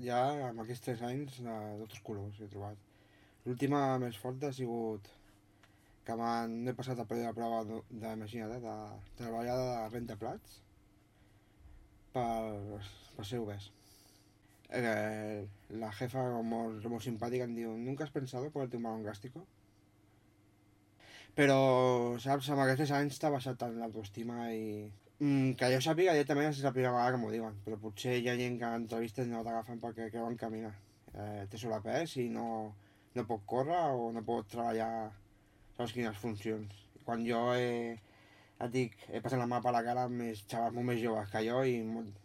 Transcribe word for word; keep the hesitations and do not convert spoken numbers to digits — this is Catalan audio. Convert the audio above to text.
ja amb aquests tres anys de tots els colors he trobat. L'última més forta ha sigut que m'han he passat a període de prova de, de, imagina't, eh, de treballar de rentaplats per, per ser obès. Eh, la jefa molt, molt simpàtica em diu ¿nunca has pensado ponerte un balón gástrico? Però, saps, amb aquests anys t'ha baixat tant l'autoestima i... Mm, que jo sàpiga, directament és la primera vegada que m'ho diuen, però potser hi ha gent que en entrevistes no t'agafen perquè creuen que, mira, eh, té sobrepès i no, no pot córrer o no pot treballar saps quines funcions. Quan jo he, et dic, he passat la mà per la cara amb més xavals molt més joves que jo i molt,